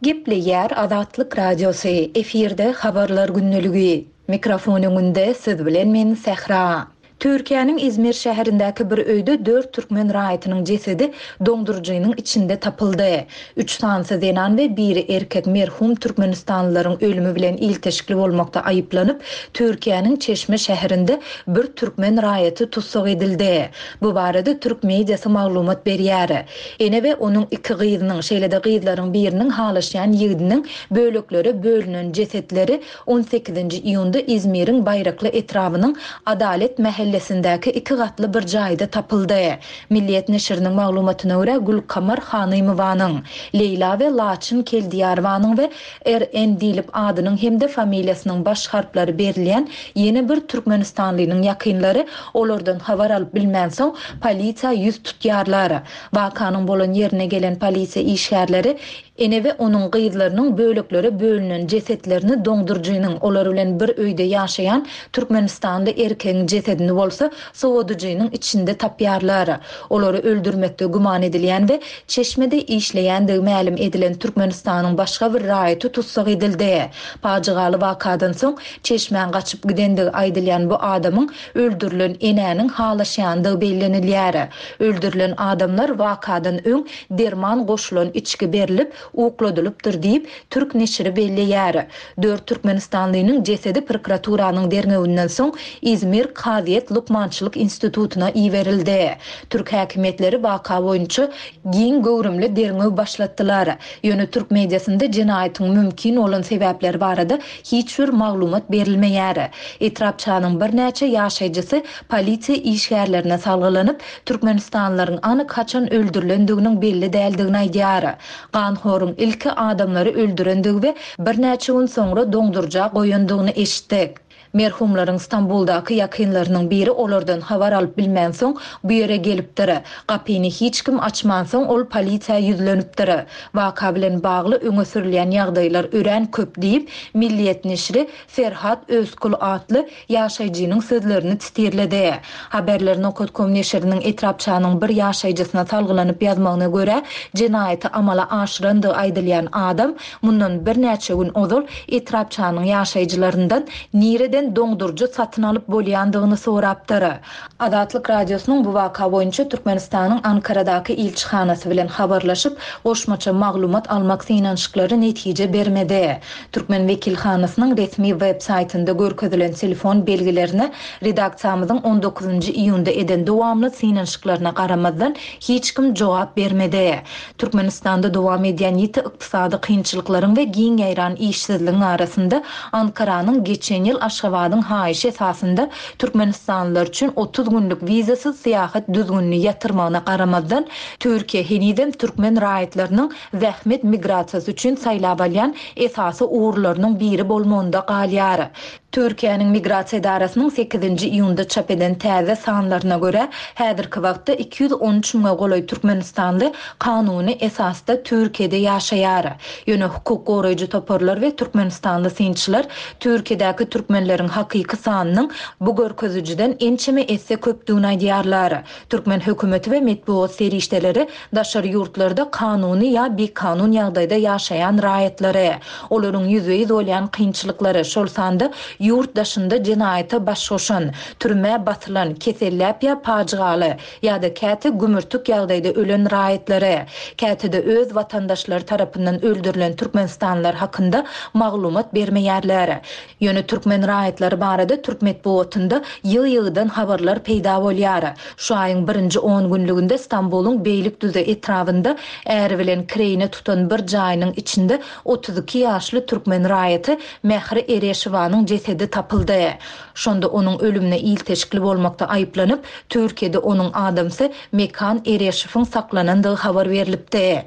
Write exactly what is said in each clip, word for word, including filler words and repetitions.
Gepleýär Azatlyk Radiosy, efirde Habarlar gündeligi. Mikrofon öňünde siz bilen men Sähra. Türkiýäniň Izmir şäherindäki bir öýde dört türkmen raýatynyň jesedi doňduryjynyň içinde tapyldy. Üç sanysy zenan we biri erkek merhum türkmenistanlylaryň ölümi bilen ilteşikli bolmakda aýyplanyp, Türkiýäniň Çeşme şäherinde bir türkmen raýaty tussag edildi. Bu barada türk mediasy maglumat berýär. Ene we onuň iki gyzynyň, şeýle-de gyzlaryň biriniň halaşýan ýigidiniň böleklere bölünen jesetleri on sekizinji iýunda Izmiriň Baýrakly etrabynyň Adalet mähellesindäki iki gatly bir jaýda tapyldy. Milliýet neşiriniň maglumatyna görä, Gülkamar Hanymowanyň, Leýla we Laçyn Keldiýarowanyň we R N diýlip adynyň hem-de familiýasynyň baş harplary berilýän ýene bir türkmenistanlynyň ýakynlary olardan habar alyp bilmänsoň polisiýa ýüz tutýarlar. Wakanyň bolan ýerine gelen polisiýa işgärleri ene we onuň gyzlarynyň böleklere bölünen jesetlerini doňduryjynyň, olar bilen bir öýde ýaşaýan Türkmenistanly erkegiň jesedini bolsa sowadyjynyň içinde tapýarlar. Olary öldürmekde güman edilýän we Çeşmede işleýändigi mälim edilen Türkmenistanyň başga bir raýaty tussag edildi. Pajygaly wakadan soň Çeşmäň gaçyp gidendigi aýdylýan bu adamyň öldürilen enäniň halaşýandygy bellenilýär. Öldürilen adamlar wakadan öň derman goşulan içki berilip ukladylypdyr diýip Türk neşiri belleýär. Dört Türkmenistanlynyň jesedi prokuraturanyň derňewinden soň Izmir Kazyýet Lukmançylyk institutyna iberildi. Türk häkimiýetleri waka boýunça giň göwrümli derňew başlatdylar. Ýöne türk mediasynda jenaýatyň mümkin bolan sebäpleri barada hiç bir maglumat berilmeýär. Etrapçanyň birnäçe ýaşaýjysy polisiýa işgärlerine salgylanyp, Türkmenistanlylaryň anyk haçan öldürilendiginiň belli däldigini aýdýar. Ganhoryň ilki adamlary öldürendigi we birnäçe gün soňra doňduryja goýandygyny eşitdik. Merhumlaryň Stambuldaky ýakynlarynyň biri olardan habar alyp bilmänsoň bu ýere gelipdir. Gapyny hiç kim açmansoň ol polisiýa ýüzlenipdir. Waka bilen bagly öňe sürülýän ýagdaýlar örän köp diýip, Milliýet neşiri Ferhat Özkul atly ýaşaýjynyň sözlerini titirledi. Haberler nokta com neşiriniň etrapçanyň bir ýaşaýjysyna salgylanyp ýazmagyna görä, jenaýaty amala aşyrandygy aýdylýan adam mundan birnäçe gün ozal etrapçanyň ýaşaýjylaryndan nireden doňduryjy satyn alyp bolýandygyny sorapdyr. Azatlyk Radiosynyň bu waka boýunça Türkmenistanyň Ankaradaky ilçihanasy bilen habarlaşyp, goşmaça maglumat almak synanyşyklary netije bermedi. Türkmen wekilhanasynyň resmi web saýtynda görkezilen telefon belgilerine redaksiýamyzyň on dokuzynjy iýunda eden dowamly synanyşyklaryna garamazdan hiç kim jogap bermedi. Türkmenistanda dowam edýän ýiti ykdysady kynçylyklaryň we giň ýaýran işsizligiň arasynda Ankaranyň geçen ýyl Aşgabadyň haýyşy esasynda Türkmenistanlylar üçin otuz günlük wizasyz syýahat düzgünini ýatyrmagyna garamazdan Türkiýe henizem türkmen raýatlarynyň zähmet migrasiýasy üçin saýlap alýan esasy ugurlarynyň biri bolmagynda galýar. Türkiýäniň migrasiýa edarasynyň sekizinji iýunda çap eden täze sanlaryna görä, häzirki wagtda iki ýüz on üç müňe golaý türkmenistanly kanuny esasda Türkiýede ýaşaýar. Ýöne hukuk goraýjy toparlar we türkmenistanly synçylar Türkiýedäki türkmenleriň hakyky sanynyň bu görkezijiden ençeme esse köpdügini aýdýarlar. Türkmen hökümeti we metbugat serişdeleri daşary ýurtlarda kanuny ýa bikanun ýagdaýda ýaşaýan raýatlary, olaryň ýüzbe-ýüz bolýan kynçylyklary, şol sanda ýurt daşynda jenaýata baş goşan, türmä basylan, keselläp ýa pajygaly ýa-da käte gümürtik ýagdaýda ölen raýatlary, käte-de öz watandaşlary tarapyndan öldürilen türkmenistanlylar hakynda maglumat bermeýärler. Ýöne türkmen raýatlary barada türk metbugatynda ýygy-ýygydan habarlar peýda bolýar. Şu aýyň birinji on günlüginde Stambulyň Beýlikdüze etrabynda äri bilen kireýine tutan bir jaýynyň içinde otuz iki ýaşly türkmen raýaty Mähri Ereşowanyň jesedi tapyldy. Şonda onuň ölümine ilteşikli bolmakda aýyplanyp, Türkiýede onuň adamsy Mekan Ereşowyň saklanandygy habar berilipdi.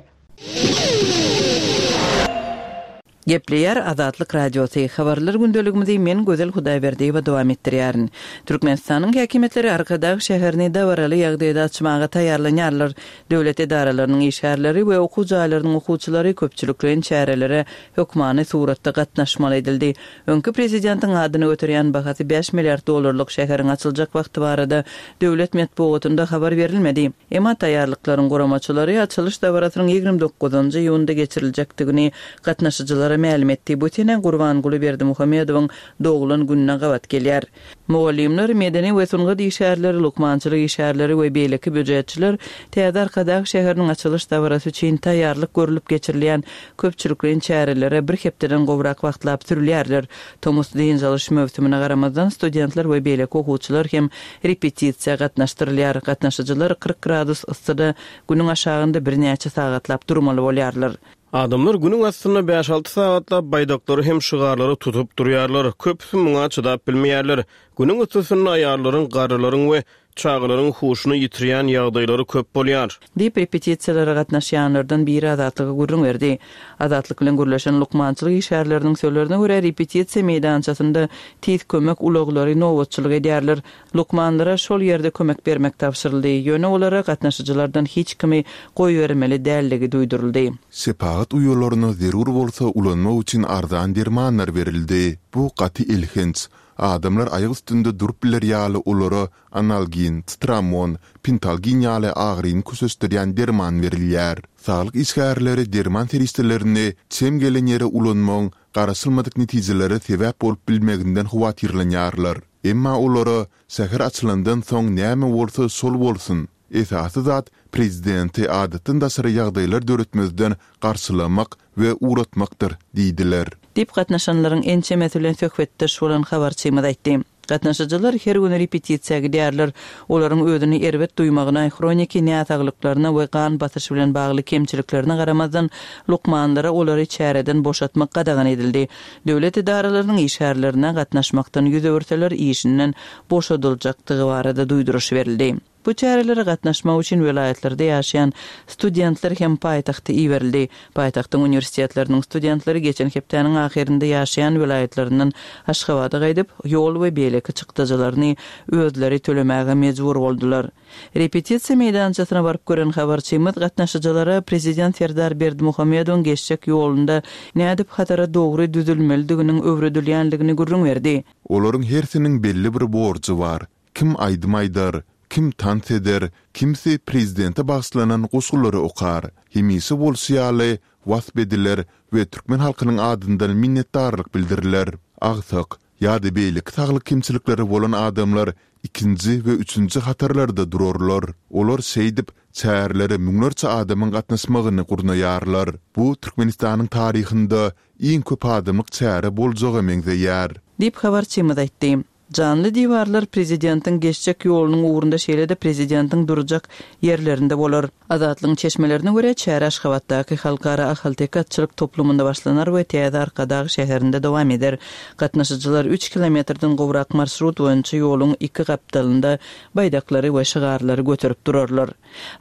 Gepleýär Azatlyk Radiosy, Habarlar gündeligimizi men Gözel Hudaýberdiýewa dowam etdirýärin. Türkmenistanyň häkimiýetleri Arkadag şäherini dabaraly ýagdaýda açmaga taýýarlanýarlar. Döwlet edaralarynyň işgärleri we okuw jaýlarynyň okuwçylary köpçülikleýin çärelere hökmany suratda gatnaşmaly edildi. Öňki prezidentiň adyny göterýän bahasy bäş milliard dollarlyk şäheriň açyljak wagty barada döwlet metbugatynda habar berilmedi. Emma taýýarlyklaryň guramaçylary açylyş dabarasynyň ýigrimi dokuzynjy iýunda geçiriljekdigini gatnaşyjylara mälim etdi. Bu sene Gurbanguly Berdimuhamedowyň doglan gününe gabat gelýär. Mugallymlar, medeni we sungat işgärleri, lukmançylyk işgärleri we beýleki býujetçiler täze Arkadag şäheriniň açylyş dabarasy üçin taýýarlyk görlüp geçirilýän köpçülikleýin çärelere bir hepdeden gowrak wagtlap sürülýärler. Tomus dynç alyş möwsümine garamazdan, studentler we beýleki okuwçylar hem repetisiýa gatnaşdyrylýar. Gatnaşyjylar kyrk gradus yssyda günüň aşagynda birnäçe sagatlap durmaly bolýarlar. Adamlar günüň astynda bäş-alty sagatlap baýdaklary hem şygarlary tutup durýarlar. Köpüsi muňa çydap bilmeýärler. Günüň yssysynda aýallaryň, garrylaryň we çagalaryň huşuny ýitirýän ýagdaýlary köp bolýar. Diýip, repetisiýalara gatnaşýanlardan biri Azatlyga gürrüň berdi. Azatlyk bilen gürleşen lukmançylyk işgärleriniň sözlerine görä, repetisiýa meýdançasynda tiz kömek ulaglary nobatçylyk edýärler. Lukmanlara şol ýerde kömek bermek tabşyryldy, ýöne olara gatnaşyjylardan hiç kimi goýbermeli däldigi duýduryldy. Şepagat uýalaryna zerur bolsa ulanmak üçin arzan dermanlar berildi. Bu gaty elhenç. Adamlar aýak üstünde durup biler ýaly olara analgin, citramon, pentalgin ýaly agyryny köşeşdirýän derman berilýär. Saglyk işgärleri derman serişdelerini çem gelen ýere ulanmagyň garaşylmadyk netijelere sebäp bolup bilmeginden howatyrlanýarlar. Emma olara şäher açylandan soň näme bolsa şol bolsun. Esasy zat prezidenti adatdan daşary ýagdaýlar döretmezden garşylamak we ugratmakdyr diýdiler. Diýip gatnaşanlaryň ençemesi bilen söhbetdeş bolan habarçymyz aýtdy. Gatnaşyjylar her gün repetisiýa gidýärler. Olaryň özüni erbet duýmagyna, hroniki näsaglyklaryna we gan basyşy bilen bagly kemçiliklerine garamazdan, lukmanlara olary çäreden boşatmak gadagan edildi. Döwlet edaralarynyň işgärlerine gatnaşmakdan ýüz öwürseler işinden boşadyljakdygy barada duýduryş berildi. Bu çärelere gatnaşmak üçin welaýatlarda ýaşaýan studentler hem paýtagta iberildi. Paýtagtyň uniwersitetleriniň studentleri geçen hepdäniň ahyrynda ýaşaýan welaýatlaryndan Aşgabada gaýdyp, ýol we beýleki çykdajylaryny özleri tölemäge mejbur boldular. Repetisiýa meýdançasyna baryp gören habarçymyz gatnaşyjylara prezident Serdar Berdimuhamedowyň geçjek ýolunda nädip hatara dogry düzülmelidiginiň öwredilýändigini gürrüň berdi. Olaryň hersiniň belli bir borjy bar. Kim aýdym aýdar, kim tans eder, kimsi prezidente bagyşlanan goşgulary okar. Hemişe bolşy ýaly, wasp ediler we türkmen halkynyň adyndan minnetdarlyk bildiriler. Agsak ýa-da beýleki saglyk kemçilikleri bolan adamlar ikinji we üçünji hatarlarda durarlar. Olar şeýdip, çärelere müňlerçe adamyň gatnaşmagyny gurnaýarlar. Bu Türkmenistanyň taryhynda iň köp adamlyk çäre boljaga meňzeýär. Diýip, habarçymyz aýtdy. Janly diwarlar prezidentiň geçjek ýolunyň ugrunda şeýle-de prezidentiň durjak ýerlerinde bolar. Azatlygyň çeşmelerine görä, çäre Aşgabatdaky Halkara ahalteke atçylyk toplumynda başlanar we täze Arkadag şäherinde dowam eder. Gatnaşyjylar üç kilometrden gowrak marşrut boýunça ýoluň iki gapdalynda baýdaklary we şygarlary göterip durarlar.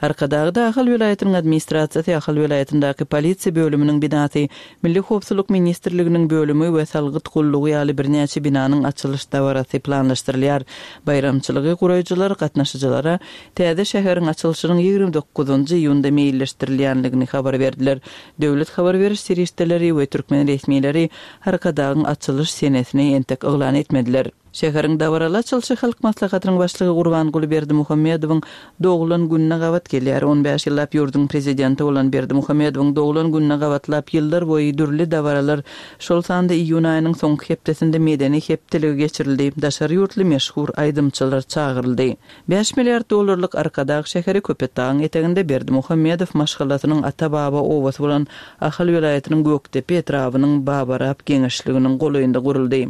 Arkadagda Ahal welaýatynyň administrasiýasy, Ahal welaýatyndaky polisiýa bölüminiň binasy, Milli howpsuzlyk ministrliginiň bölümi we salgyt gullugy ýaly birnäçe binanyň açylyş dabarasy planlaşdyrylýar. Baýramçylygy guraýjylar gatnaşyjylara täze şäheriň açylyşynyň ýigrimi dokuzynjy iýunda meýilleşdirilýändigini habar berdiler. Döwlet habar beriş serişdeleri we türkmen resmileri Arkadagyň açylyş senesini entek yglan etmediler. Şäheriň dabaraly açylyşy Halk Maslahatynyň Başlygy Gurbanguly Berdimuhamedowyň doglan gününe gabat gelýär. On bäş ýyllap ýurduň Prezidenti bolan Berdimuhamedowyň doglan gününe gabatlap ýyllar boýy dürli dabaralar, şol sanda iýun aýynyň soňky hepdesinde medeni hepdeligi geçirildi, daşary ýurtly meşhur aýdymçylar çagyryldy. Bäş milliard dollarlyk Arkadag şäheri Köpetdagyň eteginde Berdimuhamedow maşgalasynyň ata-baba obasy bolan Ahal welaýatynyň Gökdepe etrabynyň Babarap geňeşliginiň golaýynda guruldy.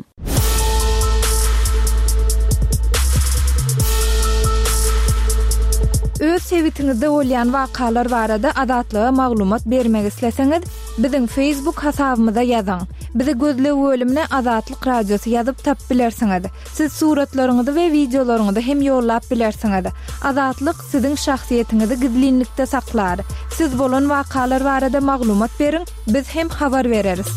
Öz sebitiňizde bolýan wakalar barada Azatlyga maglumat bermek isleseňiz, biziň Facebook hasabymyza ýazyň. Bizi gözleg bölümine Azatlyk Radiosy ýazyp tapyp bilersiňiz. Siz suratlaryňyzy we wideolaryňyzy hem ýollap bilersiňiz. Azatlyk siziň şahsyýetiňizi gizlinlikde saklar. Siz bolan wakalar barada maglumat beriň, biz hem habar bereris.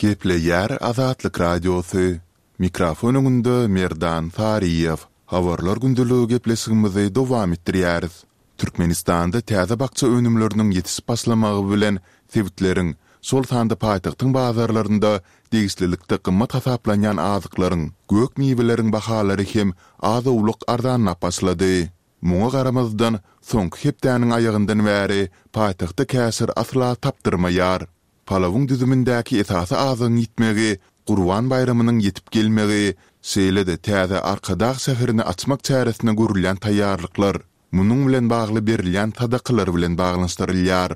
Gepleýär Azatlyk Radiosy. Mikrofon öňünde Merdan Saryýew. Habarlar gündeligi gepleşigimizi dowam etdirýäris. Türkmenistanda täze bakja önümleriniň ýetişip başlamagy bilen sebitleriň, şol sanda paýtagtyň bazarlarynda degişlilikde gymmat hasaplanýan azyklaryň, gök-miweleriň bahalary hem az-owlak arzanlap başlady. Muňa garamazdan, soňky hepdäniň aýagyndan bäri paýtagtda käşir asla tapdyrmaýar. Palawyň düzümindäki esasy azygyň ýitmegi, Gurban baýramynyň ýetip gelmegi, şeýle-de täze Arkadag şäherini açmak çäresine görülýän taýýarlyklar, munuň bilen bagly berilýän sadakalar bilen baglanyşdyrylýar.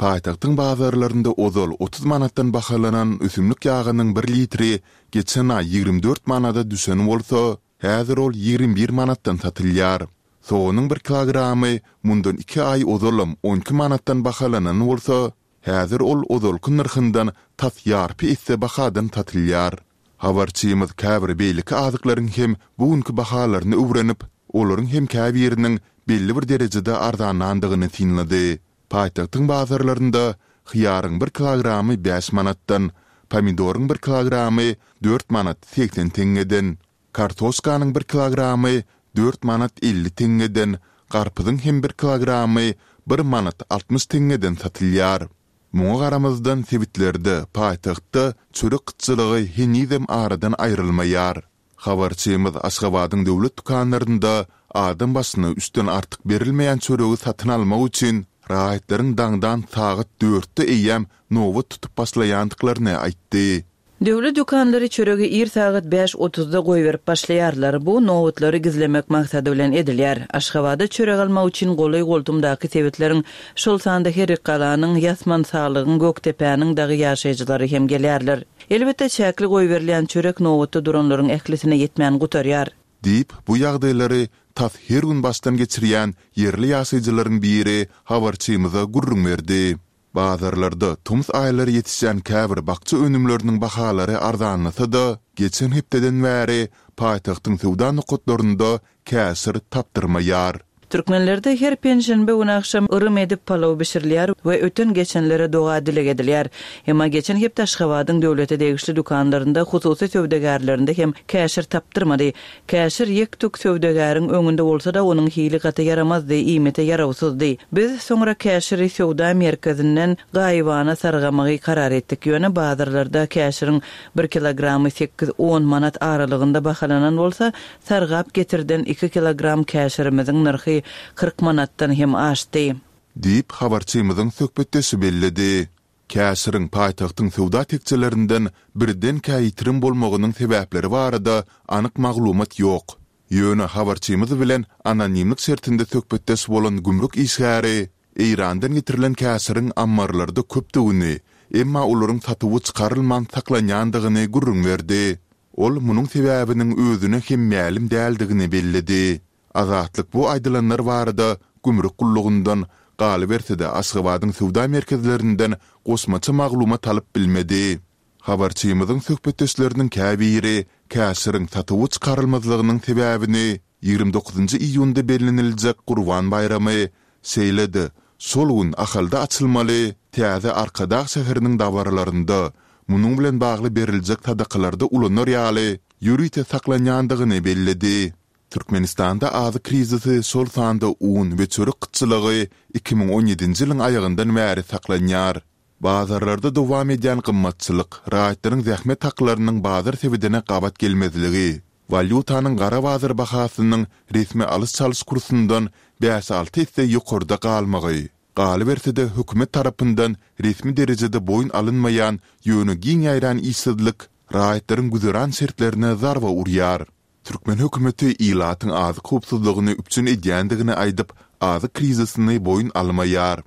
Paýtagtyň bazarlarynda ozal otuz manatdan bahalanan ösümlik ýagynyň bir litri geçen aý ýigrimi dört manada düşen bolsa, häzir ol ýigrimi bir manatdan satylýar. Soganyň bir kilogramy mundan iki aý ozalam on iki manatdan bahalanan bolsa, häzir ol ozalky nyrhyndan tas ýarpy esse bahadan satylýar. Habarçymyz käbir beýleki azyklaryň hem bu günki bahalaryny öwrenip, olaryň hem käbiriniň belli bir derejede arzanlandygyny synlady. Paýtagtyň bazarlarynda hyýaryň bir kilogramy bäş manatdan, pomidoryň bir kilogramy dört manat segsen teňňeden, kartoşkanyň bir kilogramy dört manat elli teňňeden, garpyzyň hem bir kilogramy bir manat altmyş teňňeden satylýar. Muňa garamazdan, sebitlerde, paýtagtda çörek gytçylygy henizem aradan aýrylmaýar. Habarçymyz Aşgabadyň döwlet dükanlarynda adam başyna üçden artyk berilmeýän çöregi satyn almak üçin raýatlaryň daňdan sagat dörtde eýýäm nobat tutup başlaýandyklaryny aýtdy. Döwlet dükanlary çöregi ir sagat bäş otuzda goýberip başlaýarlar. Bu nobatlary gizlemek maksady bilen edilýär. Aşgabada çörek almak üçin golaý-goltumdaky sebitleriň, şol sanda Herrikgalanyň, Ýasmansalygyň, Gökdepäniň dagy ýaşaýjylary hem gelýärler. Elbetde, çäkli goýberilýän çörek nobatda duranlaryň ählisine ýetmän gutarýar. Diýip, bu ýagdaýlary tas her gün başdan geçirýän ýerli ýaşaýjylaryň biri habarçymyza gürrüň berdi. Bazarlarda tomus aýlary ýetişýän käbir bakja önümleriniň bahalary arzanlasa-da, geçen hepdeden bäri paýtagtyň söwda nokatlarynda käşir tapdyrmaýar. Türkmenlerde her penşenbe güni agşam yrym edip palaw bişirilýär we öten-geçenlere doga-dileg edilýär. Emma geçen hepde Aşgabadyň döwlete degişli dükanlarynda, hususy söwdagärlerinde hem käşir tapdyrmady. Käşir ýek-tük söwdagäriň öňünde bolsa-da, onuň hili gaty ýaramazdy, iýmite ýarawsyzdy. Biz soňra käşiri söwda merkezinden gaýybana sargamagy karar etdik. Ýöne bazarlarda käşiriň bir kilogramy sekiz-on manat aralygynda bahalanan bolsa, sargap getirden iki kilogram käşirimiziň nyrhy kyrk manatdan hem aşdy. Diýip, habarçymyzyň söhbetdeşi belledi. Käşiriň paýtagtyň söwda tekjelerinden birdenkä ýitirim bolmagynyň sebäpleri barada anyk maglumat ýok. Ýöne habarçymyz bilen anonimlik şertinde söhbetdeş bolan gümrük işgäri Eýrandan getirilen käşiriň ammarlarda köpdügini, emma olaryň satuwa çykarylman saklanýandygyny gürrüň berdi. Ol munuň sebäbiniň özüne hem mälim däldigini belledi. Azatlyk bu aýdylanlar barada gümrük gullugyndan, galyberse-de Aşgabadyň söwda merkezlerinden goşmaça maglumat alyp bilmedi. Habarçymyzyň söhbetdeşleriniň käbiri käşiriň satuwa çykarylmazlygynyň sebäbini ýigrimi dokuzynjy iýunda belleniljek Gurban baýramy, şeýle-de şol gün Ahalda açylmaly täze Arkadag şäheriniň dabaralarynda, munuň bilen bagly beriljek sadakalarda ulanar ýaly ýörite saklanýandygyny belledi. Türkmenistanda azyk krizisi, şol sanda un we çörek gytçylygy iki müň on ýedinji ýylyň aýagyndan bäri saklanýar. Bazarlarda dowam edýän gymmatçylyk, raýatlaryň zähmet haklarynyň bazar sebedine gabat gelmezligi, walýutanyň gara bazar bahasynyň resmi alyş-çalyş kursundan bäş-alty esse ýokarda galmagy, galyberse-de hökümet tarapyndan resmi derejede boýun alynmaýan, ýöne giň ýaýran işsizlik raýatlaryň güzeran şertlerine zarba urýar. Türkmen hökümeti ilatyň azyk howpsuzlygyny üpjün edýändigini aýdyp, azyk krizisini boýun almaýar.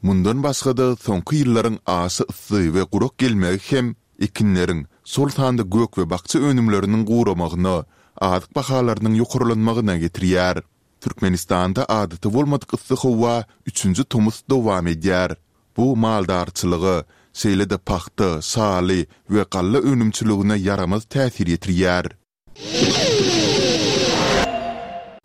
Mundan başga-da, soňky ýyllaryň aşa yssy we gurak gelmegi hem ekinleriň, şol sanda gök we bakja önümleriniň guramagyna, azyk bahalarynyň ýokarlanmagyna getirýär. Türkmenistanda adaty bolmadyk yssy howa üçünji tomus dowam edýär. Bu maldarçylyga, şeýle-de pagta, şaly we galla önümçiligine ýaramaz täsir ýetirýär.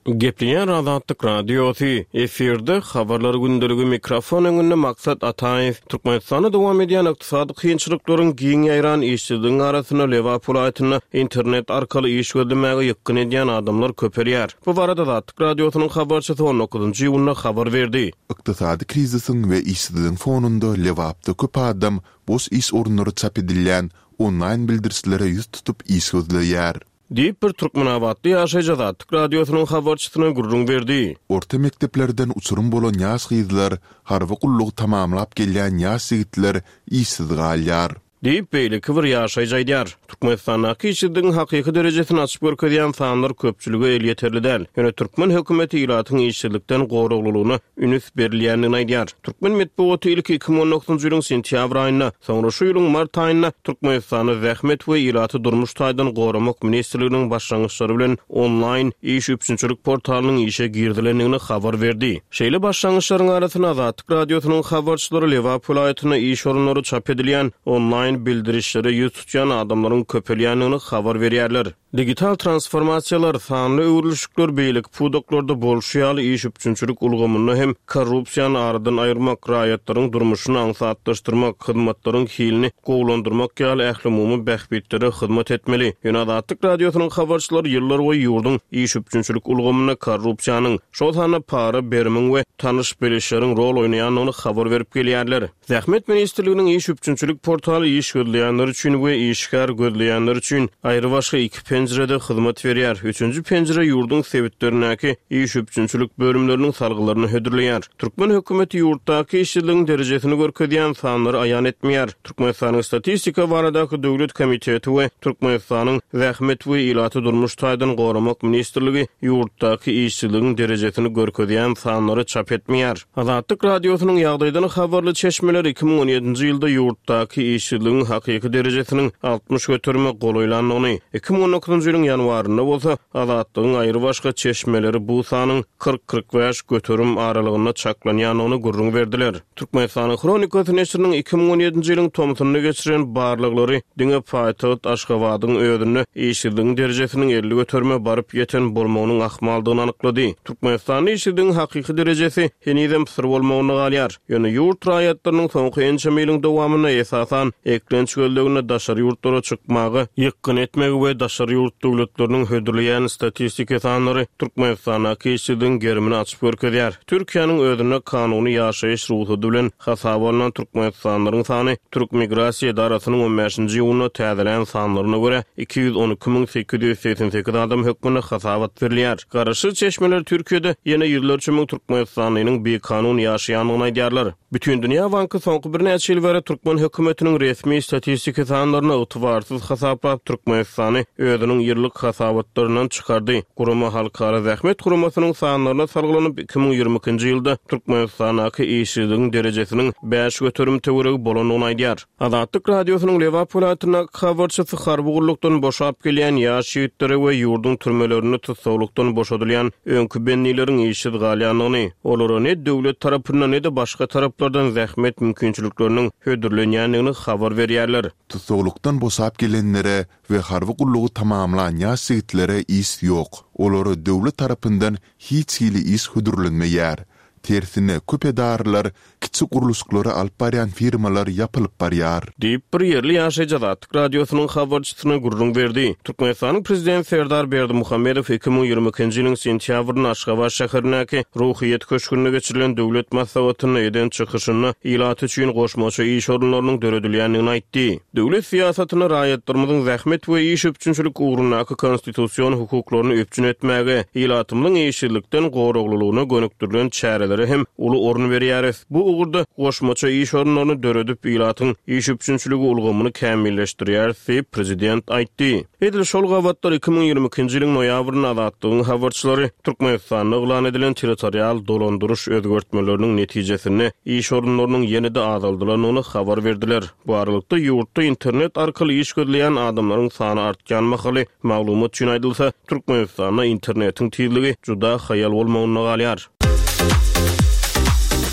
Gepleýär Azatlyk Radiosy, efirde habarlar gündeligi mikrofon öňünde Maksat Ataýew. Türkmenistanda dowam edýän ykdysady kynçylyklaryň giň ýaýran işsizligiň arasynda Lebap welaýatynda internet arkaly iş gözlemäge ýykgyn edýän adamlar köpelýär. Bu barada Azatlyk Radiosynyň habarçysy on dokuzynjy iýunda habar berdi. Ykdysady krizisiň we işsizligiň fonunda Lebapda köp adam boş iş orunlary çap edilýän onlaýn bildirişlere ýüz tutup iş gözleýär. Diýip, bir türkmenabatly ýaşaýjy Azatlyk Radiosynyň habarçysyna gürrüň berdi. Orta mekdeplerden uçurym bolan ýaş gyzlar, harby gullugy tamamlap gelýän ýaş ýigitler işsiz galýar. Diýip, beýleki bir ýaşaýjy aýdýar. Türkmenistandaky işsizligiň hakyky derejesini açyp görkezýän sanlar köpçülige elýeterli däl. Ýöne türkmen hökümeti ilatyň işsizlikden goraglylygyna üns berilýändigini aýdýar. Türkmen metbugaty ilki iki müň on dokuzynjy ýylyň sentýabr aýynda, soňra şu ýylyň mart aýynda Türkmenistanda Zähmet we ilaty durmuş taýdan goramak ministrliginiň başlangyçlary bilen onlaýn iş üpjünçilik portalynyň işe girizilendigini habar berdi. Şeýle başlangyçlaryň arasynda Azatlyk Radiosynyň habarçylary Lebap welaýatynda iş orunlary çap edilýän onlaýn bildirişlere ýüz tutýan adamlaryň köpelýändigini habar berýärler. Digital transformasiýalar, sanly öwrülişikler beýleki pudaklarda bolşy ýaly iş üpjünçilik ulgamynda hem korrupsiýany aradan aýyrmak, raýatlaryň durmuşyny aňsatlaşdyrmak, hyzmatlaryň hilini gowulandyrmak ýaly ählumumy bähbitlere hyzmat etmeli. Ýöne Azatlyk Radiosynyň habarçylary ýyllar boýy ýurduň iş üpjünçilik ulgamynda korrupsiýanyň, şol sanda para berimiň we tanyş bilişleriň rol oýnaýandygyny habar berip gelýärler. Zähmet ministrliginiň iş üpjünçilik portaly iş gözleýänler üçin we işgär gözleýänler üçin aýry başga iki penjirede hyzmat berýär. Üçünji penjire ýurduň sebitlerindäki iş üpjünçilik bölümleriniň salgylaryny hödürleýär. Türkmen hökümeti ýurtdaky işsizligiň derejesini görkezýän sanlary aýan etmeýär. Türkmenistanyň Statistika baradaky döwlet komiteti we Türkmenistanyň Zähmet we ilaty durmuş taýdan goramak ministrligi ýurtdaky işsizligiň derejesini görkezýän sanlary çap etmeýär. Azatlyk Radiosynyň ýagdaýdan habarly çeşmeler iki müň on ýedinji ýylda ýurtdaky işsizligiň hakyky derejesiniň altmyş göterime golaýlandygyny, iki müň on dokuzynjy ýylyň ýanwarynda bolsa Azatlygyň aýry başga çeşmeleri bu sanyň kyrk-kyrk bäş göterim aralygynda çaklanýandygyny gürrüň berdiler. Türkmenistanyň Hronikasy neşiriniň iki müň on ýedinji ýylyň tomsunda geçiren barlaglary diňe paýtagt Aşgabadyň özünde işsizligiň derejesiniň elli göterime baryp ýeten bolmagynyň ahmaldygyny anyklady. Türkmenistanda işsizligiň hakyky derejesi henizem syr bolmagyna galýar. Ýöne ýurt raýatlarynyň soňky ençeme ýylyň dowamynda esasan eklenç gözleginde daşary ýurtlara çykmaga ýykgyn etmegi we daşary ýurt döwletleriniň hödürleýän statistiki sanlary Türkmenistandaky işsizligiň gerimini açyp görkezýär. Türkiýäniň özünde kanuny ýaşaýyş rugsady bilen hasaba alnan Türkmenistanlylaryň sany Türk Migrasiýa edarasynyň on bäşinji iýunda täzelän sanlaryna görä iki ýüz on iki müň sekiz ýüz segsen sekiz adam hökmünde hasabat berilýär. Garaşsyz çeşmeler Türkiýede ýene ýüzlerçe müň Türkmenistanlynyň bikanun ýaşaýandygyny aýdýarlar. Bütindünýä Banky soňky birnäçe ýyl bäri türkmen hökümetiniň resmi statistiki sanlaryny ygtybarsyz hasaplap Türkmenistany özüniň ýyllyk hasabatlaryndan çykardy. Gurama Halkara Zähmet Guramasynyň sanlaryna salgylanyp iki müň ýigrimi ikinji ýylda Türkmenistandaky işsizligiň derejesiniň bäş göterim töweregi bolandygyny aýdýar. Azatlyk Radiosynyň Lebap welaýatyndaky habarçysy harby gullukdan boşap gelýän ýaş ýigitlere we ýurduň türmelerinde tussaglykdan boşadylýan öňki bendileriň işsiz galýandygyny, olara ne döwlet tarapyndan ne-de başga taraplardan zähmet mümkinçilikleriniň hödürlenýändigini habar berýärler. Tussaglykdan boşap gelenlere we harby gullugy tamamlan ýaş ýigitlere iş ýok. Olara döwlet tarapyndan hiç hili iş hödürlenmeýär. Tersine köp edarlar, kiçi gurluşyklary alyp barýan firmalar ýapylyp barýar. Diýip, bir ýerli ýaşaýjy Azatlyk Radiosynyň habarçysyna gürrüň berdi. Türkmenistanyň Prezidenti Serdar Berdimuhamedow iki müň ýigrimi ikinji ýylyň sentýabrynda Aşgabat şäherindäki Ruhyýet köşgünde geçirilen döwlet maslahatynda eden çykyşynda ilat üçin goşmaça iş orunlarynyň döredilýändigini aýtdy. Döwlet syýasatyny raýatlarymyzyň zähmet we iş üpjünçilik ugrundaky konstitusion hukuklaryny üpjün etmäge, ilatymyzyň işsizlikden goraglylygyna gönükdirilen çärelere hem uly orun berýäris. Bu ugurda goşmaça iş orunlaryny döredip, ilatyň iş üpjünçiligi ulgamyny kämilleşdirýäris diýip prezident aýtdy. Edil şol gabatlar iki müň ýigrimi ikinji ýylyň noýabrynda Azatlygyň habarçylary Türkmenistanda yglan edilen territorial dolandyryş özgertmeleriniň netijesinde iş orunlarynyň ýene-de azaldylandygyny habar berdiler. Bu aralykda ýurtda internet arkaly iş gözleýän adamlaryň sany artýan mahaly maglumat üçin aýdylsa, Türkmenistanda internetiň tizligi juda haýal bolmagynda galýar.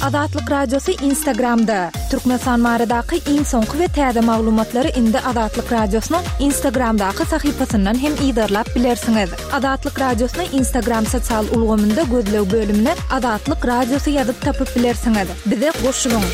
Azatlyk Radiosy Instagramda. Türkmenistan baradaky iň soňky we täze maglumatlary indi Azatlyk Radiosynyň Instagramdaky sahypasyndan hem yzarlap bilersiňiz. Azatlyk Radiosyny Instagram sosial ulgamynda gözleg bölümine Azatlyk Radiosy ýazyp tapyp bilersiňiz. Bize goşulyň.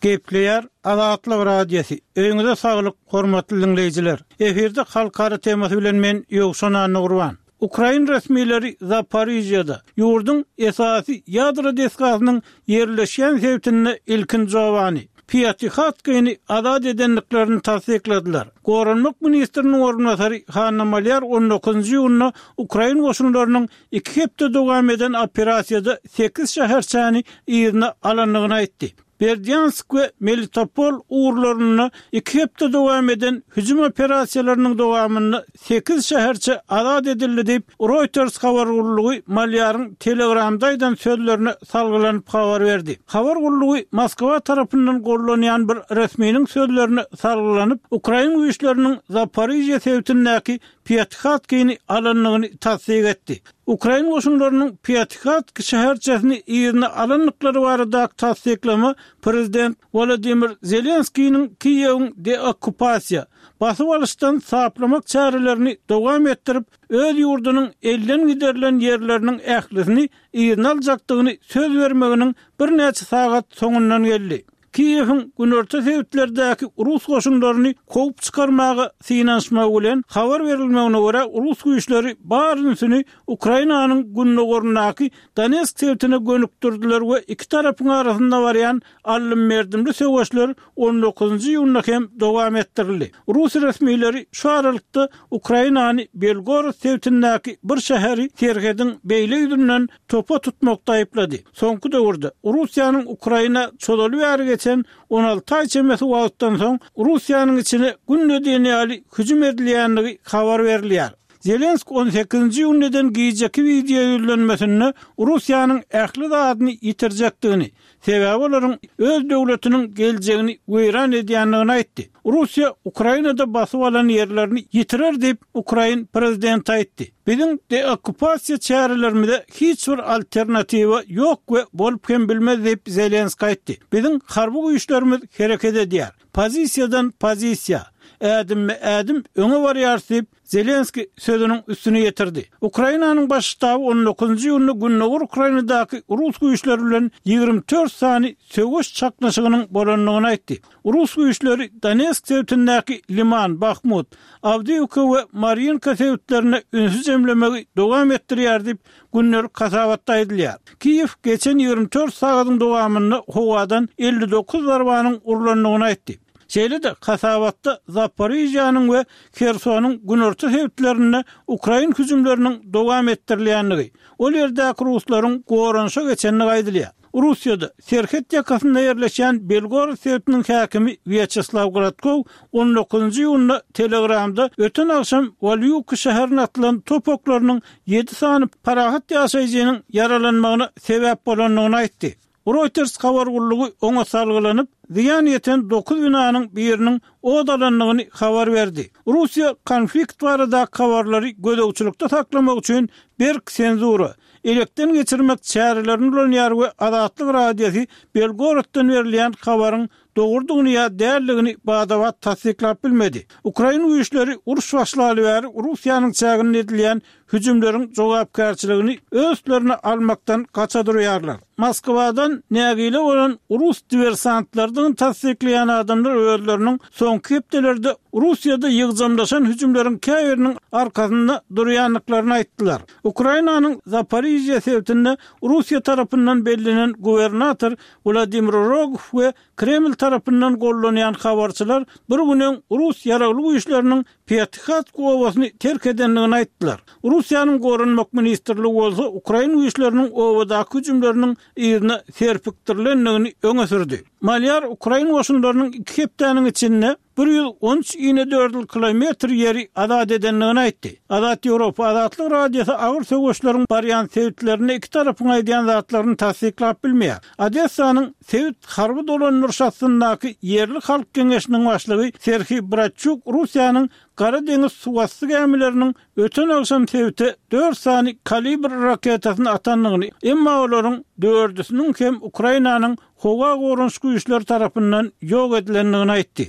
Gepleýär Azatlyk Radiosy. Öýüňize saglyk, hormatly diňleýjiler. Efirde halkara temasy bilen men Ýowşan Annagurban. Ukrain resmileri Zaporižýada, ýurduň esasy ýadro desgasynyň ýerleşýän sebitinde ilkinji obany, Pýatihatkyny azat edendiklerini tassykladylar. Goranmak ministriniň orunbasary Hanna Malýar on dokuzynjy iýunda ukrain goşunlarynyň iki hepde dowam eden operasiýada sekiz şäherçäni yzyna alandygyny aýtdy. Berdýansk we Melitopol ugurlarynda iki hepde dowam eden hüjüm operasiýalarynyň dowamynda sekiz şäherçe azat edildi diýip, Reuters habar gullugy Malýaryň Telegramda aýdan sözlerine salgylanyp habar berdi. Habar gullugy Moskwa tarapyndan gollanýan bir resminiň sözlerine salgylanyp, ukrain güýçleriniň Zaporižýa sebitindäki Pýatihatkyny alandygyny tassyk etdi. Ukrain goşunlarynyň Pýatihatky şäherçesini yzyna alandyklary baradaky tassyklama prezident Wolodymyr Zelenskiniň Kiýewiň deokkupasiýa, basyp alyşdan saplamak çärelerini dowam etdirip, öz ýurdunyň elden giderilen ýerleriniň ählisini yzyna aljakdygyny söz bermeginiň birnäçe sagat soňundan geldi. Kiýewiň günorta sebitlerdäki rus goşunlaryny kowup çykarmaga synanyşmagy bilen habar berilmegine görä, rus güýçleri bar ünsüni Ukrainanyň gündogaryndaky Donetsk sebitine gönükdirdiler we iki tarapyň arasynda barýan aldym-berdimli söweşler on dokuzynjy iýunda hem dowam etdirildi. Rus resmileri şu aralykda Ukrainany Belgorod sebitindäki bir şäheri serhediň beýle ýüzünden topa tutmakda aýyplady. Soňky döwürde Russiýanyň Ukraina çozaly bäri geçen on alty aý çemesi wagtdan soň Russiýanyň içine günde diýen ýaly hüjüm edilýändigi habar berilýär. Zelenski on sekizinji iýunda eden gijeki wideo ýüzlenmesinde Russiýanyň ähli zadyny ýitirjekdigini, sebäbi olaryň öz döwletiniň geljegini weýran edýändigini aýtdy. Russiýa Ukrainada basyp alan ýerlerini ýitirer diýip, ukrain prezidenti aýtdy. Biziň deokkupasiýa çärelerimize hiç bir alternatiwa ýok we bolup hem bilmez diýip Zelenski aýtdy. Biziň harby güýçlerimiz hereket edýär. Pozisiýadan pozisiýa, ädimme ädim öňe barýarys diýip, Zelenski sözüniň üstüni ýetirdi. Ukrainanyň baş ştaby on dokuzynjy iýunda Gündogar Ukrainadaky rus güýçleri bilen ýigrimi dört sany söweş çaknyşygynyň bolandygyny aýtdy. Rus güýçleri Donetsk sebitindäki Liman, Bahmut, Awdiýewka we Marýinka sebitlerine ünsi jemlemegi dowam etdirýär diýip, gündelik hasabatda aýdylýar. Kiýew geçen ýigrimi dört sagadyň dowamynda howadan elli dokuz zarbanyň urlandygyny aýtdy. Şeýle-de hasabatda Zaporižýanyň we Hersonyň günorta sebitlerinde ukrain hüjümleriniň dowam etdirilýändigi, ol ýerdäki ruslaryň goranyşa geçendigi aýdylýar. Russiýada serhet ýakasynda ýerleşýän Belgorod sebitiniň häkimi Wýaçeslaw Gladkow on dokuzynjy iýunda Telegramda öten agşam Walýuki şäherine atylan top oklarynyň ýedi sany parahat ýaşaýjynyň ýaralanmagyna sebäp bolandygyny aýtdy. Reuters habar gullugy oňa salgylanyp, zyýan ýeten dokuz binanyň biriniň od alandygyny habar berdi. Russiýa konflikt baradaky habarlary gözegçilikde saklamak üçin berk senzura, elekden geçirmek çärelerini ulanýar we Azatlyk Radiosy Belgoroddan berilýän habaryň dogrudygyny ýa däldigini bada-bat tassyklap bilmedi. Ukrain güýçleri uruş başlaly bäri Russiýanyň çäginde edilýän hüjümleriň jogapkärçiligini öz üstlerine almakdan gaça durýarlar. Moskwadan nägile bolan rus diversantlarydygyny tassyklaýan adamlar özleriniň soňky hepdelerde Russiýada ýygjamlaşan hüjümleriň käbiriniň arkasynda durýandyklaryny aýtdylar. Ukrainanyň Zaporižýa sebitinde Russiýa tarapyndan bellenen gubernator Wladimir Rogow we Kreml tarapyndan gollanýan habarçylar bir gün öň rus ýaragly güýçleriniň Pýatihatsk obasyny terk edendigini aýtdylar. Russiýanyň Goranmak ministrligi bolsa ukrain güýçleriniň obadaky hüjümleriniň yzyna serpikdirilendigini öňe sürdi. Malýar ukrain goşunlarynyň iki hepdäniň içinde bir ýüz on üç inedördül kilometr ýeri azat edendigini aýtdy. Azat Ýewropa Azatlyk Radiosy agyr söweşleriň barýan sebitlerinde iki tarapyň aýdýan zatlaryny tassyklap bilmeýär. Odessanyň sebit harby dolandyryş astyndaky ýerli halk geňeşiniň başlygy Serhiý Bratçuk Russiýanyň Gara deňiz suwasty gämileriniň öten agşam sebite dört sany Kalibr raketasyny atandygyny, emma olaryň dördüsiniň hem Ukrainanyň howa goranyş güýçleri tarapyndan ýok edilendigini aýtdy.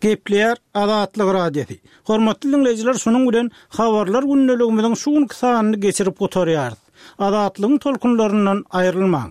Gepleýär Azatlyk Radiosy. Hormatly diňleýjiler, şunuň bilen Habarlar gündeligimiziň şu günki sanyny geçirip gutarýarys. Azatlygyň tolkunlaryndan aýrylmaň!